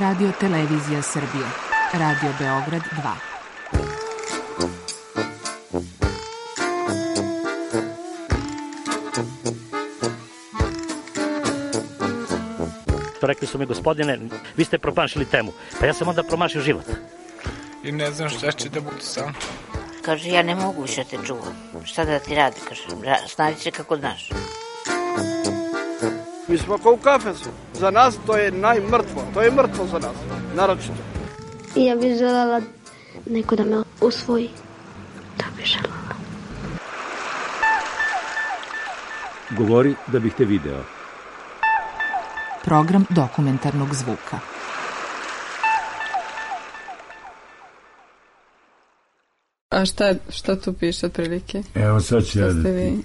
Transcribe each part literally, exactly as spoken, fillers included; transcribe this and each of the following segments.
Radio Televizija Srbije. Radio Beograd dva. Rekli su mi, gospodine, vi ste promašili temu. Pa ja sam onda promašio život. I ne znam šta će da bude sam. Kaže, ja ne mogu više te čuvam. Šta da ti radi, kaže, snađi se kako znaš. Mi smo kao u kafesu. Za nas to je najmrtvo. To je mrtvo za nas, naročito. I ja bih želela neko da me usvoji. To bih želela. Govori da bih te video. Program dokumentarnog zvuka. A šta, šta tu piše otprilike? Evo sad ću ja da ti...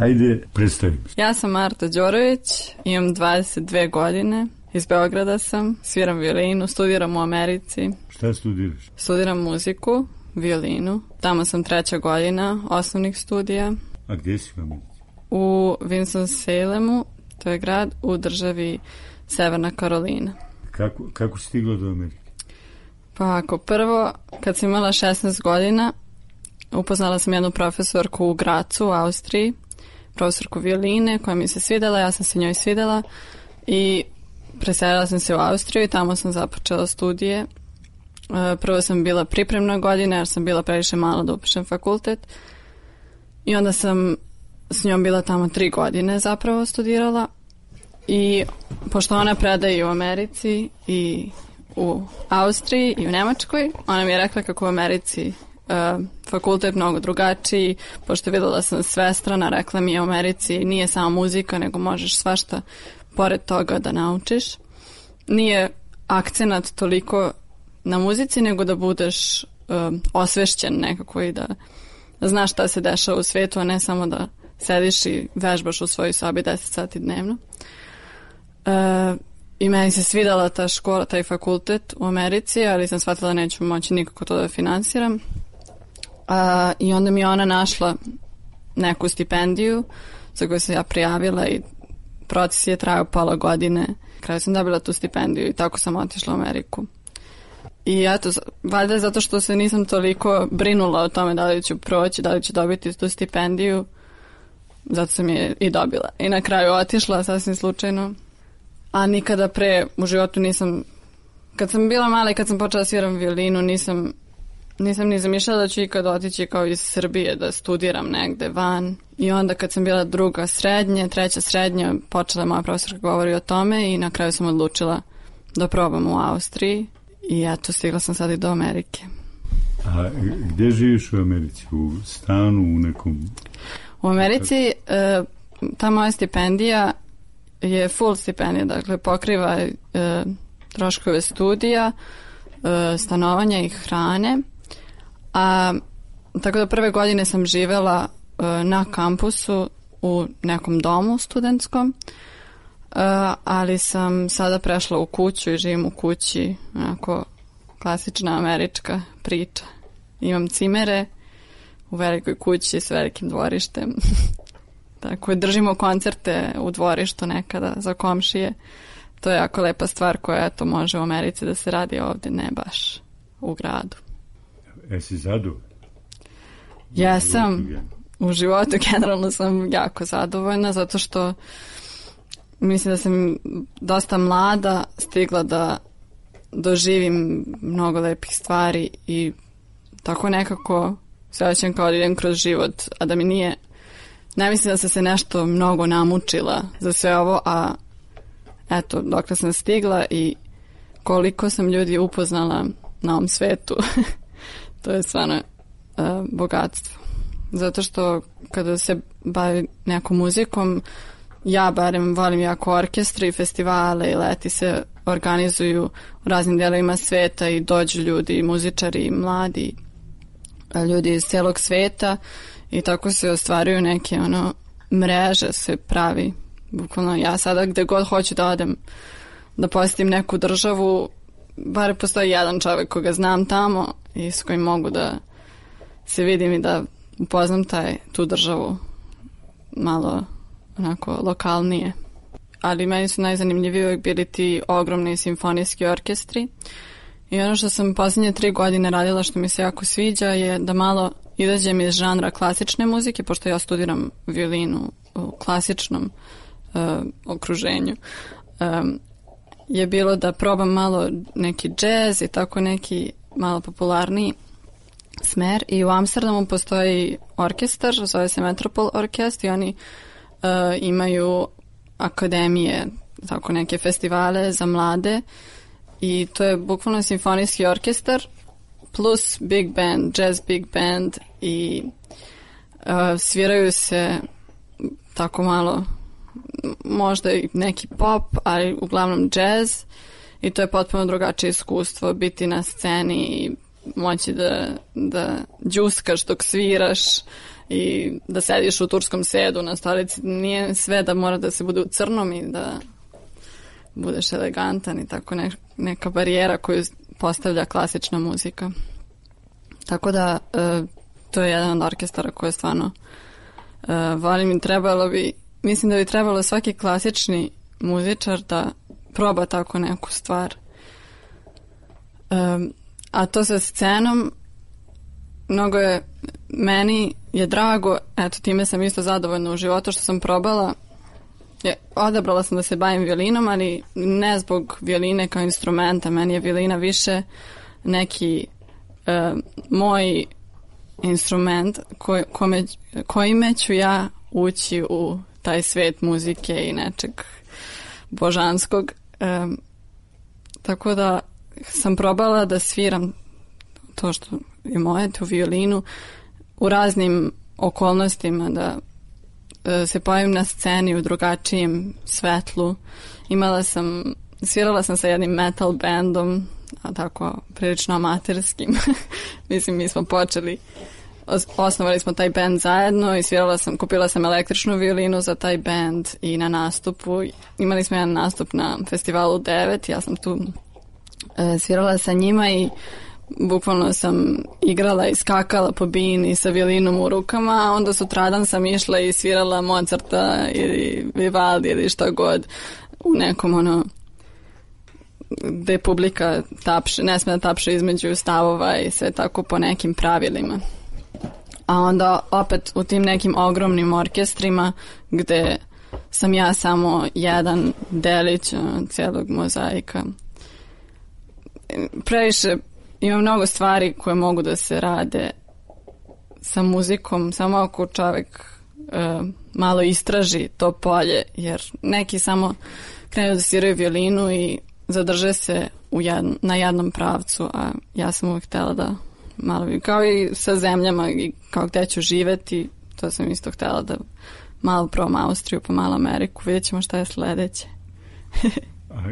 Ajde, predstavim. Ja sam Marta Đorović, imam dvadeset dve godine, iz Beograda sam, sviram violinu, studiram u Americi. Šta studiraš? Studiram muziku, violinu. Tamo sam treća godina osnovnih studija. A gdje si u Americi? U Winston-Salemu, to je grad u državi Severna Karolina. Kako, kako si stigla do Amerike? Pa ako prvo, kad sam imala šesnaest godina, upoznala sam jednu profesorku u Gracu, u Austriji, profesorku violine koja mi se svidela, ja sam se njoj svidela i preselila sam se u Austriju i tamo sam započela studije. Prvo sam bila pripremna godina jer sam bila previše mala da upišem fakultet i onda sam s njom bila tamo tri godine zapravo studirala i pošto ona predaje u Americi i u Austriji i u Nemačkoj, ona mi je rekla kako u Americi uh, fakultet mnogo drugačiji, pošto videla sam svestrana, rekla mi je u Americi nije samo muzika, nego možeš svašta pored toga da naučiš. Nije akcenat toliko na muzici, nego da budeš uh, osvešćen nekako i da znaš šta se dešava u svetu, a ne samo da sediš i vežbaš u svojoj sobi deset sati dnevno. Uh, I meni se svidala ta škola, taj fakultet u Americi, ali sam shvatila da neću moći nikako to da finansiram. Uh, I onda mi je ona našla neku stipendiju za koju sam ja prijavila i proces je trajao pola godine. Kraju sam dobila tu stipendiju i tako sam otišla u Ameriku. I eto, valjda zato što se nisam toliko brinula o tome da li ću proći, da li ću dobiti tu stipendiju, zato sam je i dobila. I na kraju otišla sasvim slučajno. A nikada pre u životu nisam, kad sam bila mala i kad sam počela sviram violinu, nisam, nisam ni zamišljala da ću ikad otići kao iz Srbije da studiram negde van. I onda kad sam bila druga srednje, treća srednja, počela moja profesorka govori o tome i na kraju sam odlučila da probam u Austriji i eto, stigla sam sad i do Amerike. A gdje živiš u Americi? U stanu, u nekom... U Americi e, ta moja stipendija je full stipendija, dakle pokriva e, troškove studija, e, stanovanja i hrane. A, tako da prve godine sam živela e, na kampusu u nekom domu studentskom, e, ali sam sada prešla u kuću i živim u kući, onako klasična američka priča. Imam cimere u velikoj kući s velikim dvorištem. Tako, držimo koncerte u dvorištu nekada za komšije. To je jako lepa stvar koja eto može u Americi da se radi, ovdje ne baš u gradu. Jesi zadovoljna? Ja sam u životu generalno sam jako zadovoljna zato što mislim da sam dosta mlada stigla da doživim mnogo lepih stvari i tako nekako se osjećam kao da idem kroz život, a da mi nije, ne mislim da sam se nešto mnogo namučila za sve ovo, a eto, dokle sam stigla i koliko sam ljudi upoznala na ovom svetu, to je stvarno uh, bogatstvo. Zato što kada se bavim nekom muzikom, ja barem volim jako orkestre i festivale i leti se organizuju u raznim delovima sveta i dođu ljudi, muzičari i mladi ljudi iz celog sveta i tako se ostvaruju neke ono mreže se pravi. Bukvalno ja sada gde god hoću da odem da posjetim neku državu, bar postoji jedan čovjek koga znam tamo i s kojim mogu da se vidim i da upoznam taj, tu državu malo onako lokalnije. ali meni su najzanimljiviji uvijek bili ti ogromni simfonijski orkestri. I ono što sam posljednje tri godine radila što mi se jako sviđa je da malo izađem iz žanra klasične muzike, pošto ja studiram violinu u klasičnom uh, okruženju. Um, je bilo da probam malo neki džez i tako neki malo popularniji smer. I u Amsterdamu postoji orkestar, zove se Metropol Orkest i oni uh, imaju akademije, tako neke festivale za mlade i to je bukvalno simfonijski orkestar plus big band, jazz big band i uh, sviraju se tako malo možda i neki pop, ali uglavnom jazz i to je potpuno drugačije iskustvo biti na sceni i moći da, da džuskaš dok sviraš i da sediš u turskom sedu na stolici. Nije sve da mora da se bude u crnom i da budeš elegantan i tako ne, neka barijera koju postavlja klasična muzika. Tako da e, to je jedan od orkestara koje stvarno e, volim i trebalo bi, mislim da bi trebalo svaki klasični muzičar da proba tako neku stvar. E, a to sa scenom mnogo je, meni je drago, eto time sam isto zadovoljna u životu što sam probala. Je, odabrala sam da se bavim violinom, ali ne zbog violine kao instrumenta. Meni je violina više neki e, moj instrument koj, kome, kojime ću ja ući u taj svet muzike i nečeg božanskog. E, tako da sam probala da sviram to što je moje, tu violinu, u raznim okolnostima, da se pojavim na sceni u drugačijem svetlu. Imala sam, svirala sam sa jednim metal bandom, a tako prilično amaterskim. Mislim, mi smo počeli, osnovali smo taj band zajedno i svirala sam, kupila sam električnu violinu za taj band i na nastupu. Imali smo jedan nastup na festivalu devet, ja sam tu e, svirala sa njima i bukvalno sam igrala i skakala po bini sa violinom u rukama, a onda sutradan sam išla i svirala Mozarta ili Vivaldi ili šta god u nekom ono gde publika tapše, ne sme da tapše između stavova i sve tako po nekim pravilima. A onda opet u tim nekim ogromnim orkestrima gde sam ja samo jedan delić cijelog mozaika. Previše ima mnogo stvari koje mogu da se rade sa muzikom, samo ako čovjek e, malo istraži to polje, jer neki samo krenu da sviraju violinu i zadrže se u jedn, na jednom pravcu, a ja sam uvijek htjela da malo, kao i sa zemljama i kao gde ću živeti, to sam isto htjela da malo probam Austriju pa malo Ameriku, vidjet ćemo šta je sledeće. A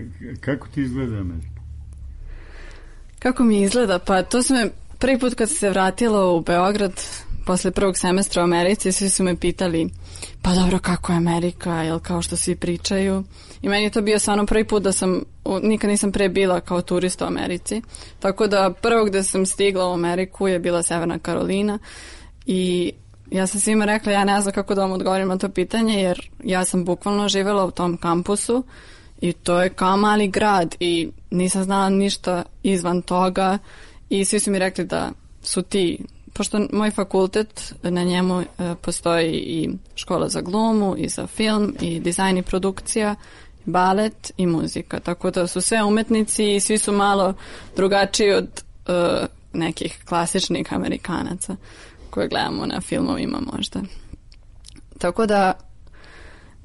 kako ti izgleda Amerika? Kako mi izgleda? Pa to su me, prvi put kad sam se vratila u Beograd posle prvog semestra u Americi, svi su me pitali, pa dobro, kako je Amerika, jel kao što svi pričaju? I meni je to bio stvarno prvi put da sam, nikad nisam pre bila kao turista u Americi, tako da prvo gde sam stigla u Ameriku je bila Severna Karolina i ja sam svima rekla, ja ne znam kako da vam odgovorim na to pitanje, jer ja sam bukvalno živjela u tom kampusu i to je kao mali grad i nisam znala ništa izvan toga i svi su mi rekli da su ti, pošto moj fakultet, na njemu e, postoji i škola za glumu i za film i dizajn i produkcija, balet i muzika, tako da su sve umetnici i svi su malo drugačiji od e, nekih klasičnih Amerikanaca koje gledamo na filmovima možda. Tako da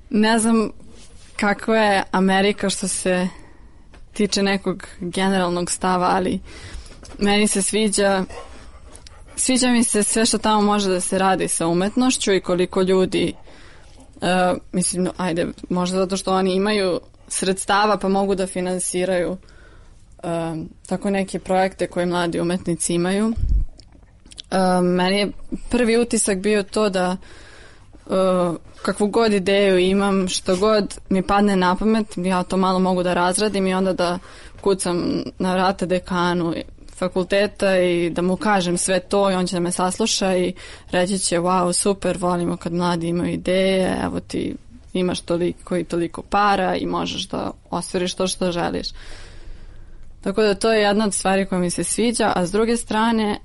ne znam kakva je Amerika što se tiče nekog generalnog stava, ali meni se sviđa sviđa mi se sve što tamo može da se radi sa umetnošću i koliko ljudi uh, mislim, ajde, možda zato što oni imaju sredstava pa mogu da finansiraju uh, tako neke projekte koje mladi umetnici imaju. Uh, meni je prvi utisak bio to da uh, kakvu god ideju imam, što god mi padne na pamet, ja to malo mogu da razradim i onda da kucam na vrata dekanu fakulteta i da mu kažem sve to i on će da me sasluša i reći će, wow, super, volimo kad mladi imaju ideje, evo ti imaš toliko i toliko para i možeš da ostvariš to što želiš. Tako da to je jedna od stvari koja mi se sviđa, a s druge strane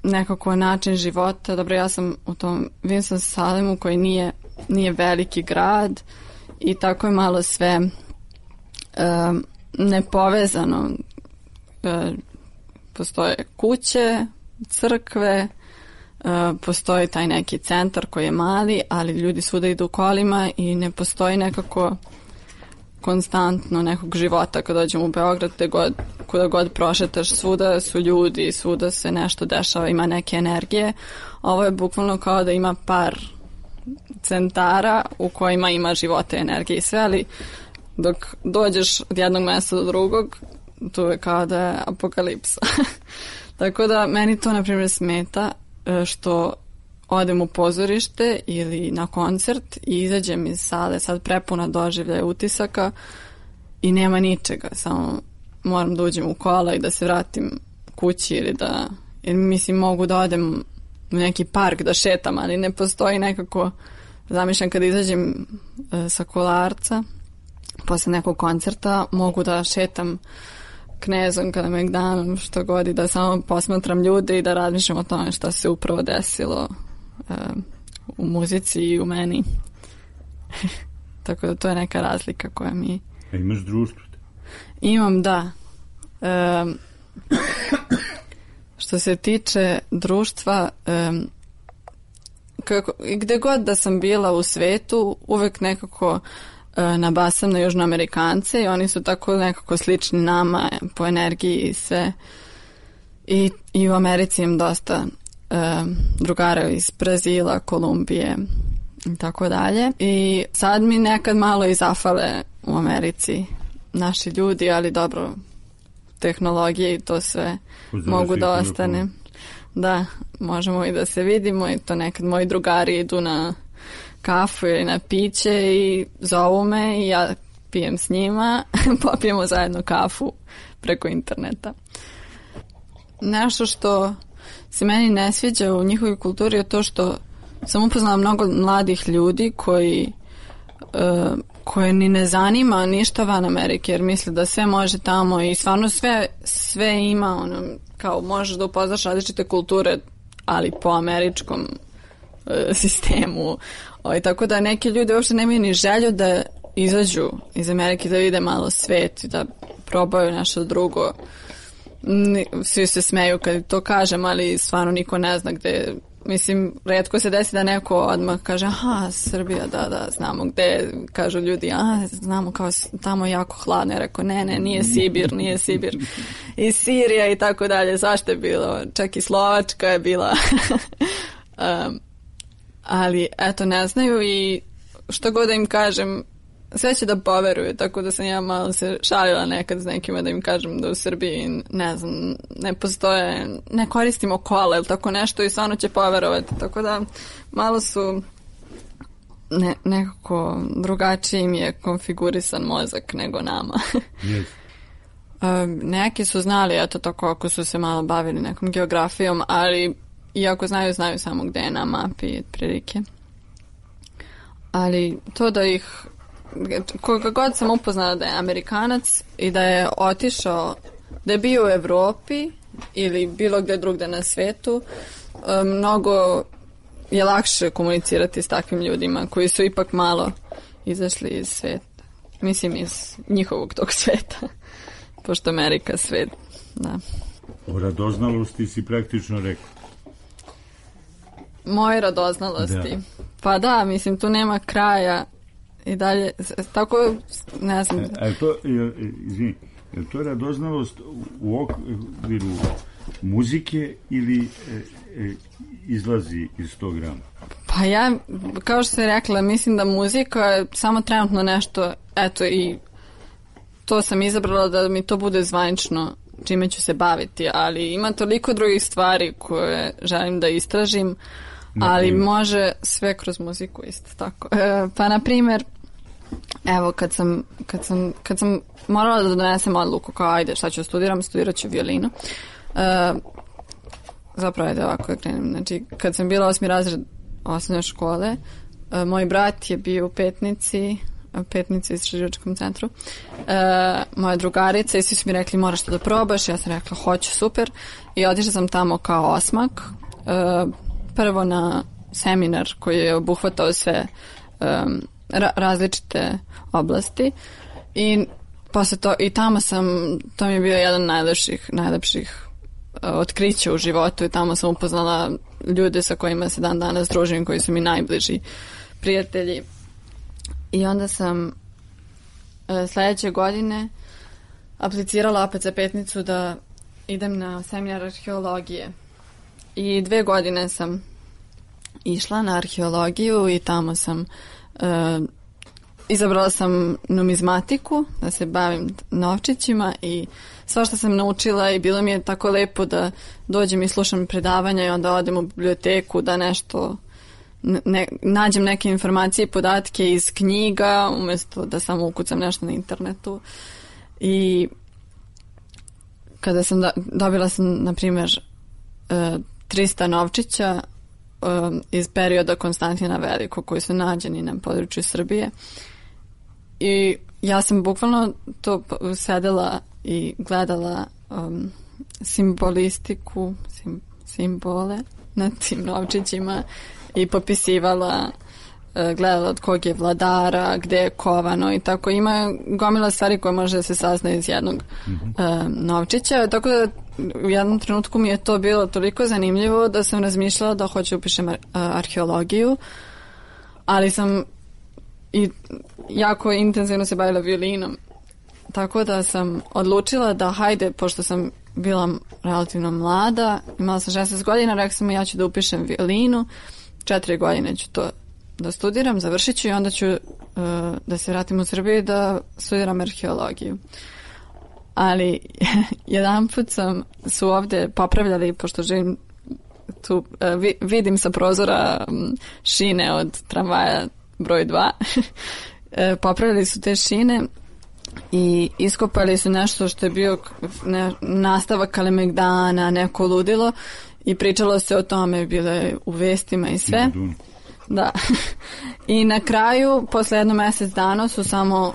nekako način života. Dobro, ja sam u tom Winston-Salemu koji nije, nije veliki grad i tako je malo sve um, nepovezano. Um, postoje kuće, crkve, um, postoji taj neki centar koji je mali, ali ljudi svuda idu kolima i ne postoji nekako konstantno nekog života. Kad dođem u Beograd, te god, kuda god prošetaš, svuda su ljudi, svuda se nešto dešava, ima neke energije. Ovo je bukvalno kao da ima par centara u kojima ima života, energije i sve, ali dok dođeš od jednog mesta do drugog, tu je kao da je apokalipsa. Tako da meni to, na primjer, smeta što odem u pozorište ili na koncert i izađem iz sale sad prepuna doživljaja utisaka i nema ničega, samo moram da uđem u kola i da se vratim kući ili da, jer mislim mogu da odem u neki park da šetam, ali ne postoji nekako, zamišljam kad izađem e, sa Kolarca posle nekog koncerta, mogu da šetam Knezom, kada me gdanom, što god, i da samo posmatram ljude i da razmišljam o tome šta se upravo desilo uh, u muzici i u meni. Tako da to je neka razlika koja mi... A imaš društvo? Imam, da. Um, što se tiče društva, um, kako, gde god da sam bila u svetu, uvek nekako nabasam na Južnoamerikance i oni su tako nekako slični nama po energiji i sve. I, i u Americi imam dosta uh, drugara iz Brazila, Kolumbije i tako dalje. I sad mi nekad malo i zafale u Americi naši ljudi, ali dobro, tehnologije i to sve Pozdrav mogu da ostane. Da, možemo i da se vidimo i to nekad moji drugari idu na kafu ili na piće i zovu me i ja pijem s njima, popijemo zajedno kafu preko interneta. Nešto što se meni ne sviđa u njihovoj kulturi je to što sam upoznala mnogo mladih ljudi koji uh, koje ni ne zanima ništa van Amerike, jer misle da sve može tamo i stvarno sve, sve ima, ono, kao možeš da upoznaš različite kulture, ali po američkom uh, sistemu. O, tako da neki ljudi uopšte nemaju ni želju da izađu iz Amerike, da vide malo svet i da probaju nešto drugo. Svi se smeju kad to kažem, ali stvarno niko ne zna gde. Mislim, retko se desi da neko odmah kaže, aha, Srbija, da, da, znamo gde. Kažu ljudi, a, znamo kao tamo jako hladno. Ja rekao, ne, ne, nije Sibir, nije Sibir. I Sirija i tako dalje. Zašto je bilo? Čak i Slovačka je bila. um, ali, eto, ne znaju i što god da im kažem, sve će da poveruju, tako da sam ja malo se šalila nekad s nekima da im kažem da u Srbiji, ne znam, ne postoje, ne koristimo kola ili tako nešto i stvarno će poverovati, tako da malo su ne, nekako drugačiji im je konfigurisan mozak nego nama. Yes. um, neki su znali, eto tako, ako su se malo bavili nekom geografijom, ali iako znaju, znaju samo gde je na mapi prilike. Ali to da ih koga god sam upoznala da je Amerikanac i da je otišao, da je bio u Evropi ili bilo gde drugde na svetu, mnogo je lakše komunicirati s takvim ljudima koji su ipak malo izašli iz sveta. Mislim, iz njihovog tog sveta. Pošto Amerika svet, da. O radoznalosti si praktično rekao. Moje radoznalosti. Da. Pa da, mislim, tu nema kraja. I dalje, tako, ne znam. A je to, izvini, je to radoznalost u okviru muzike ili e, e, izlazi iz tog rama? Pa ja, kao što sam rekla, mislim da muzika je samo trenutno nešto, eto, i to sam izabrala da mi to bude zvanično čime ću se baviti, ali ima toliko drugih stvari koje želim da istražim, ali može sve kroz muziku isto tako. E, pa, na primjer, evo, kad sam, kad sam, kad sam morala da donesem odluku kao, ajde, šta ću studiram, studirat ću violinu. E, zapravo, ajde ovako da krenem. Znači, kad sam bila osmi razred osnovne škole, Uh, moj brat je bio u Petnici, Petnici u istraživačkom centru. Uh, moja drugarica i svi su mi rekli moraš to da probaš. Ja sam rekla hoću, super. I otišla sam tamo kao osmak. Uh, prvo na seminar koji je obuhvatao sve um, ra- različite oblasti. I posle to, i tamo sam, to mi je bio jedan najlepših, najlepših uh, otkrića u životu i tamo sam upoznala ljude sa kojima se dan danas družim, koji su mi najbliži prijatelji. I onda sam uh, sledeće godine aplicirala opet za Petnicu da idem na seminar arheologije. I dve godine sam išla na arheologiju i tamo sam uh, izabrala sam numizmatiku, da se bavim novčićima i sva što sam naučila i bilo mi je tako lepo da dođem i slušam predavanja i onda odem u biblioteku da nešto ne, nađem neke informacije i podatke iz knjiga umjesto da samo ukucam nešto na internetu. I kada sam do, dobila sam, na primjer, trista novčića iz perioda Konstantina Velikog koji su nađeni na području Srbije. I ja sam bukvalno to sedela i gledala um, simbolistiku, sim, simbole na tim novčićima i popisivala, uh, gledala od kog je vladara, gde je kovano i tako. Ima gomila stvari koje može da se saznaju iz jednog mm-hmm. uh, novčića. Tako da u jednom trenutku mi je to bilo toliko zanimljivo da sam razmišljala da hoću upišem ar- arheologiju, ali sam i jako intenzivno se bavila violinom. Tako da sam odlučila da hajde, pošto sam bila relativno mlada, imala sam šesnaest godina, rekla sam ja ću da upišem violinu, četiri godine ću to da studiram, završit ću i onda ću uh, da se vratim u Srbiju da studiram arheologiju. Ali jedan put sam su ovde popravljali, pošto živim tu, uh, vi, vidim sa prozora um, šine od tramvaja broj dva. Popravili su te šine i iskopali su nešto što je bio ne, nastavak Kalemegdana, neko ludilo i pričalo se o tome, bilo je u vestima i sve. Da. I na kraju, posle jedno mesec dana su samo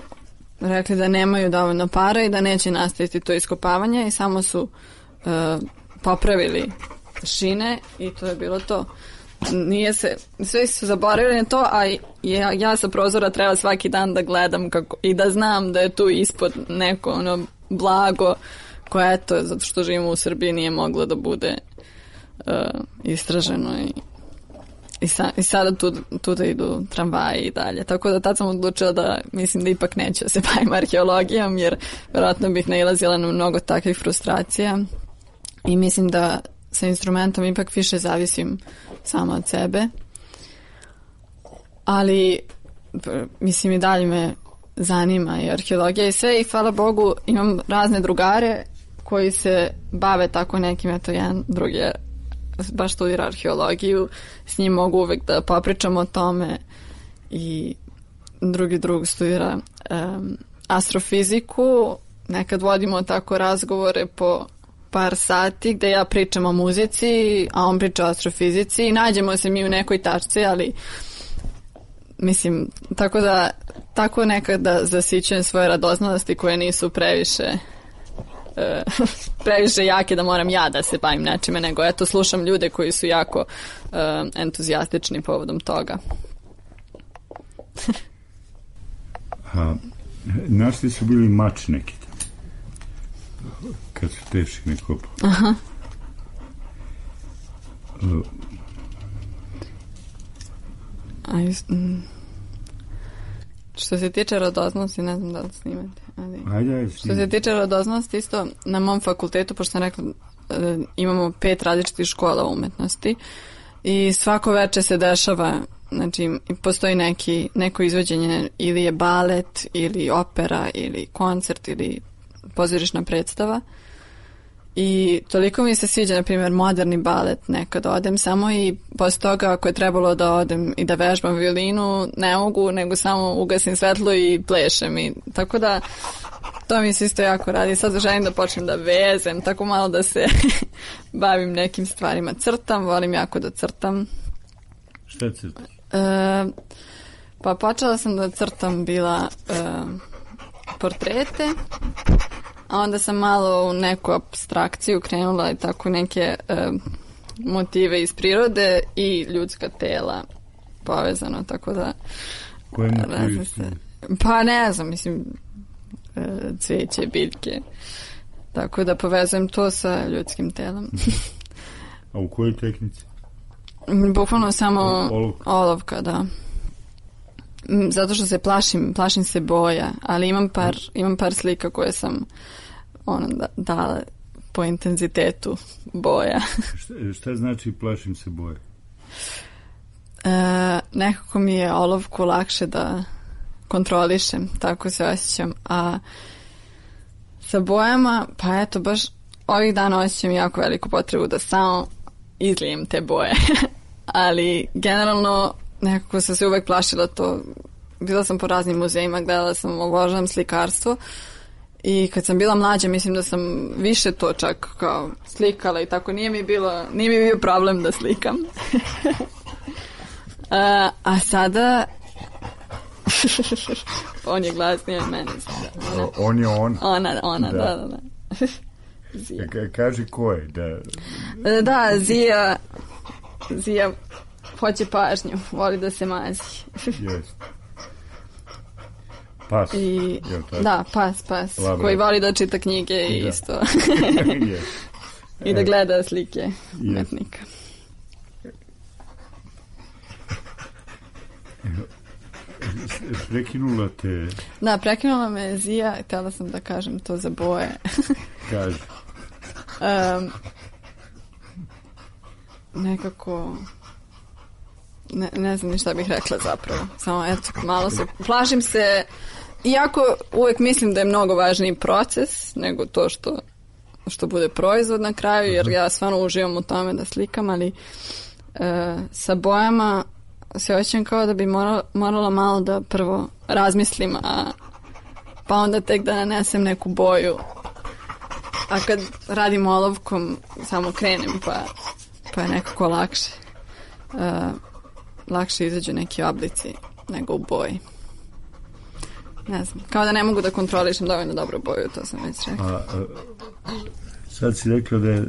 rekli da nemaju dovoljno para i da neće nastaviti to iskopavanje i samo su uh, popravili šine i to je bilo to. Nije se, svi su zaboravili na to, a ja, ja sa prozora treba svaki dan da gledam kako, i da znam da je tu ispod neko ono blago koje eto, zato što živimo u Srbiji, nije moglo da bude uh, istraženo i, i, sa, i sada tu, tu da idu tramvaji i dalje. Tako da tad sam odlučila da mislim da ipak neću da se bavim arheologijom, jer vjerojatno bih nailazila na mnogo takvih frustracija i mislim da sa instrumentom ipak više zavisim sama od sebe. Ali mislim i dalje me zanima i arheologija i sve i hvala Bogu imam razne drugare koji se bave tako nekim, eto jedan drugi je baš studira arheologiju, s njim mogu uvek da popričam o tome i drugi drug studira um, astrofiziku, nekad vodimo tako razgovore po par sati gde ja pričam o muzici, a on priča o astrofizici i nađemo se mi u nekoj tačci, ali mislim, tako da tako nekada zasićujem svoje radoznalosti koje nisu previše uh, previše jake da moram ja da se bavim nečime, nego eto slušam ljude koji su jako uh, entuzijastični povodom toga. A, našli su bili mač neki kad su teški ne kopali. Aha. Uh, A just, mm. Što se tiče rodoznosti, ne znam da li snimate. Ali, ajde, ajde, što se tiče rodoznosti, isto na mom fakultetu, pošto sam rekla, imamo pet različitih škola umetnosti i svako veče se dešava, znači postoji neki, neko izvođenje, ili je balet, ili opera, ili koncert, ili pozorišna predstava. I toliko mi se sviđa, na primjer, moderni balet, nekad odem samo i posle toga ako je trebalo da odem i da vežbam violinu, ne mogu, nego samo ugasim svetlo i plešem. I, tako da to mi se isto jako radi. Sad želim da počnem da vezem, tako malo da se bavim nekim stvarima. Crtam, volim jako da crtam. Šta crtaš? E, pa počela sam da crtam bila e, portrete, a onda sam malo u neku abstrakciju krenula i tako neke e, motive iz prirode i ljudska tela povezano, tako da... Koje motive se? Pa ne znam, mislim, e, cveće, biljke, tako da povezujem to sa ljudskim telom. A u kojoj tehnici? Bukvalno samo olovka. olovka, da. Zato što se plašim, plašim se boja, ali imam par, imam par slika koje sam ono, da, dala po intenzitetu boja. šta, šta znači plašim se boja? E, nekako mi je olovku lakše da kontrolišem, tako se osjećam, a sa bojama, pa eto, baš ovih dana osjećam jako veliku potrebu da samo izlijem te boje. Ali generalno nekako sam se uvek plašila to. Bila sam po raznim muzejima, gledala sam, obožavam slikarstvo i kad sam bila mlađa mislim da sam više to čak kao slikala i tako, nije mi bilo, nije mi bio problem da slikam. a, a sada on je glasniji od mene. Ona, on je on. Ona, ona, da, da, da. da. Ka, kaži ko je? Da, da Zija Zija hoće pažnju, voli da se mazi. Yes. Pas. I, da, pas, pas. Labra. Koji voli da čita knjige i da. Isto. Yes. I da gleda slike umetnika. Prekinula te... Da, prekinula me Zija, htjela sam da kažem to za boje. Kaži. um, nekako... Ne, ne znam ni šta bih rekla zapravo. Samo, eto, malo se... Plašim se... Iako uvek mislim da je mnogo važniji proces nego to što, što bude proizvod na kraju, jer ja stvarno uživam u tome da slikam, ali e, sa bojama se osjećam kao da bi morala, morala malo da prvo razmislim, a pa onda tek da nanesem neku boju. A kad radim olovkom, samo krenem, pa, pa je nekako lakše. E, lakše izađu neki oblici nego u boji. Ne znam, kao da ne mogu da kontrolišem dovoljno dobro boju, to sam već rekla. A, a, sad si rekla da je,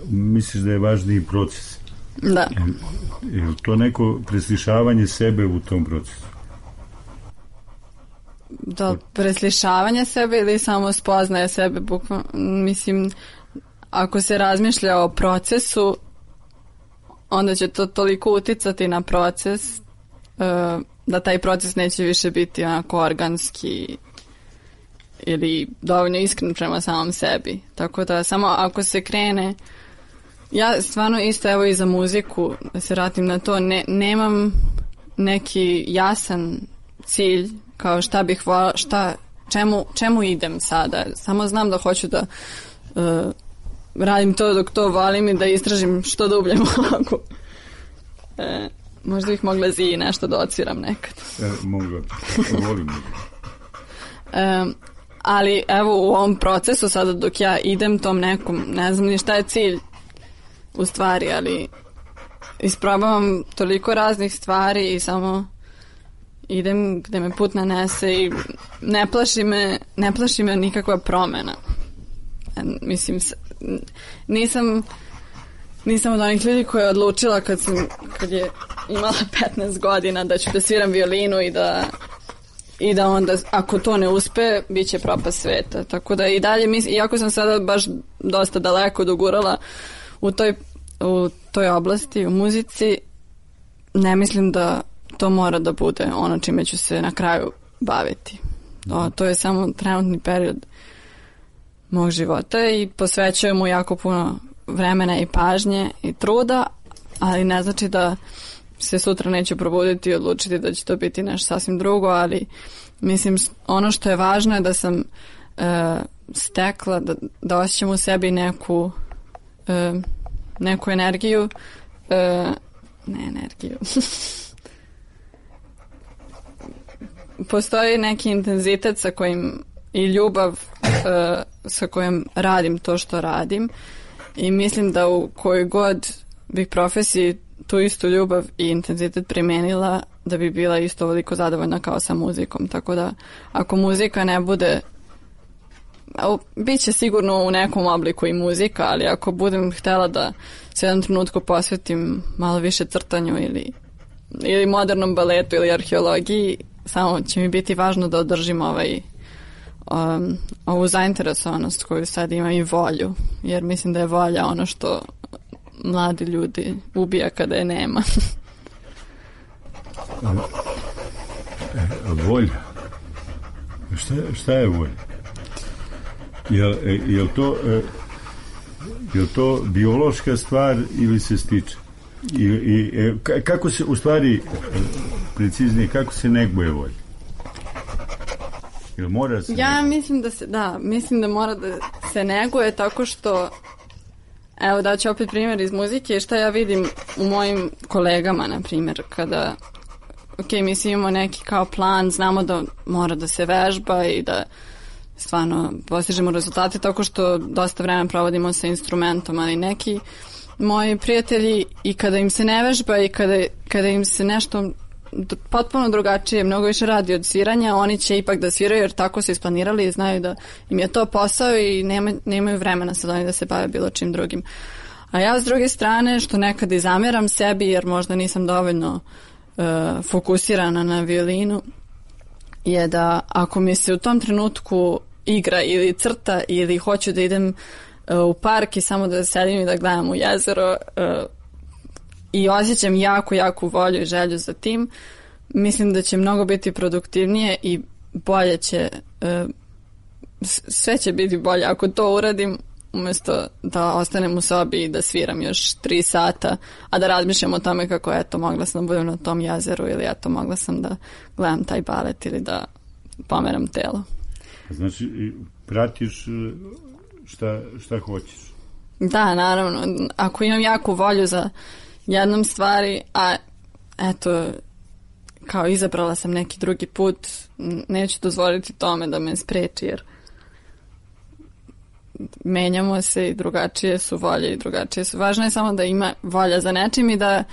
misliš da je važniji proces. Da. Je, je to neko preslišavanje sebe u tom procesu? Da, preslišavanje sebe ili samo spoznaje sebe, bukvalno, mislim, ako se razmišlja o procesu, onda će to toliko uticati na proces, uh, da taj proces neće više biti onako organski ili dovoljno iskren prema samom sebi. Tako da samo ako se krene, ja stvarno isto evo i za muziku, da se vratim na to, ne, nemam neki jasan cilj kao šta bih vola, šta, čemu, čemu idem sada. Samo znam da hoću da uh, radim to dok to volim i da istražim što dublje mogu. E, možda bih mogla Ziji nešto da odsviram nekad. E, mogla, volim. e, ali evo u ovom procesu sada dok ja idem tom nekom, ne znam ni šta je cilj u stvari, ali isprobavam toliko raznih stvari i samo idem gde me put nanese i ne plaši me, ne plaši me nikakva promena. E, mislim, nisam nisam od onih ljudi koja je odlučila kad, sam, kad je imala petnaest godina da ću da sviram violinu i da i da onda ako to ne uspe bit će propast sveta. Tako da i dalje mislim, iako sam sada baš dosta daleko dogurala u toj, u toj oblasti, u muzici, ne mislim da to mora da bude ono čime ću se na kraju baviti. To, to je samo trenutni period mog života i posvećujem mu jako puno vremena i pažnje i truda, ali ne znači da se sutra neću probuditi i odlučiti da će to biti nešto sasvim drugo, ali mislim ono što je važno je da sam e, stekla, da, da osjećam u sebi neku e, neku energiju e, ne energiju postoji neki intenzitet sa kojim i ljubav e, sa kojim radim to što radim i mislim da u kojoj god bih profesiji tu istu ljubav i intenzitet primenila da bi bila isto ovoliko zadovoljna kao sa muzikom. Tako da ako muzika ne bude, bit će sigurno u nekom obliku i muzika, ali ako budem htjela da se jednom trenutku posvetim malo više crtanju ili, ili modernom baletu ili arheologiji, samo će mi biti važno da održim ovaj, um, ovu zainteresovanost koju sad imam i volju, jer mislim da je volja ono što mladi ljudi ubija kada je nema. Volja? Šta, šta je volja? Jel, jel, to, jel to biološka stvar ili se stiče? I, i, kako se, u stvari, preciznije, kako se neguje volja? Jel mora se ja neguje? mislim da se, da, mislim da mora da se neguje tako što, evo da ću opet primjer iz muzike, šta ja vidim u mojim kolegama, na primjer, kada, ok, mi svi imamo neki kao plan, znamo da mora da se vežba i da stvarno postižemo rezultate tako što dosta vremena provodimo sa instrumentom, ali neki moji prijatelji i kada im se ne vežba i kada, kada im se nešto potpuno drugačije, mnogo više radi od sviranja, oni će ipak da sviraju jer tako su isplanirali i znaju da im je to posao i nema, nemaju vremena sad oni da se bave bilo čim drugim. A ja s druge strane, što nekad i zamjeram sebi jer možda nisam dovoljno uh, fokusirana na violinu, je da ako mi se u tom trenutku igra ili crta ili hoću da idem uh, u park i samo da sedim i da gledam u jezero uh, i osjećam jako, jako volju i želju za tim, mislim da će mnogo biti produktivnije i bolje će, uh, sve će biti bolje ako to uradim umjesto da ostanem u sobi i da sviram još tri sata, a da razmišljam o tome kako eto mogla sam da budem na tom jezeru ili eto mogla sam da gledam taj balet ili da pomeram telo. Znači, pratiš šta, šta hoćeš? Da, naravno. Ako imam jaku volju za jednom stvari, a eto, kao izabrala sam neki drugi put, neću dozvoliti tome da me spreči, jer menjamo se i drugačije su volje i drugačije su. Važno je samo da ima volja za nečim i da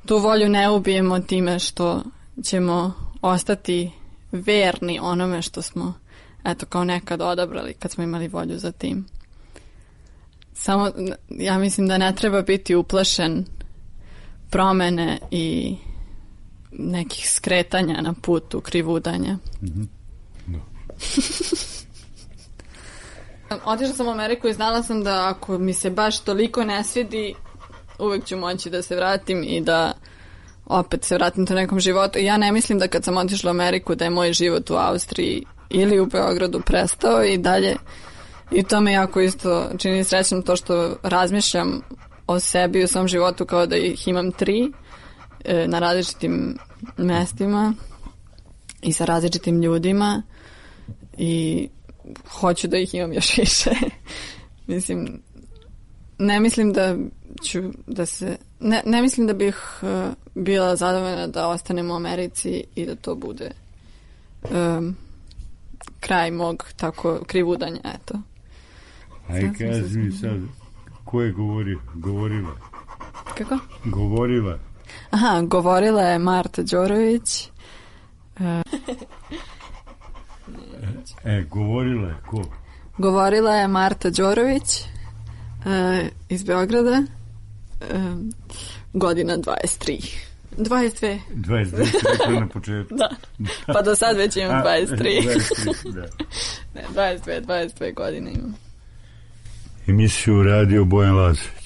tu volju ne ubijemo time što ćemo ostati verni onome što smo eto kao nekad odabrali kad smo imali volju za tim. Samo ja mislim da ne treba biti uplašen promene i nekih skretanja na putu, krivudanja. Mm-hmm. No. Otišla sam u Ameriku i znala sam da ako mi se baš toliko ne svidi, uvek ću moći da se vratim i da opet se vratim u nekom životu. I ja ne mislim da kad sam otišla u Ameriku da je moj život u Austriji ili u Beogradu prestao i dalje. I to me jako isto čini srećnom to što razmišljam o sebi i o svom životu kao da ih imam tri e, na različitim mestima i sa različitim ljudima i hoću da ih imam još više. Mislim, ne mislim da ću da se, ne, ne mislim da bih uh, bila zadovoljna da ostanem u Americi i da to bude um, kraj mog tako krivudanja, eto. Aj, kaži mi sad, ko je govori, govorila? Kako? Govorila. Aha, govorila je Marta Đorović. Uh, E, govorila je ko? Govorila je Marta Đorović uh, iz Beograda, uh, godina dvadeset tri. dvadeset dve. dvadeset dve, rekla na početku. Da, pa do sad već imam dvadeset tri. dvadeset tri, da. Ne, dvadeset dve, dvadeset dve godine imam. Emisiju radio Bojan Lazović.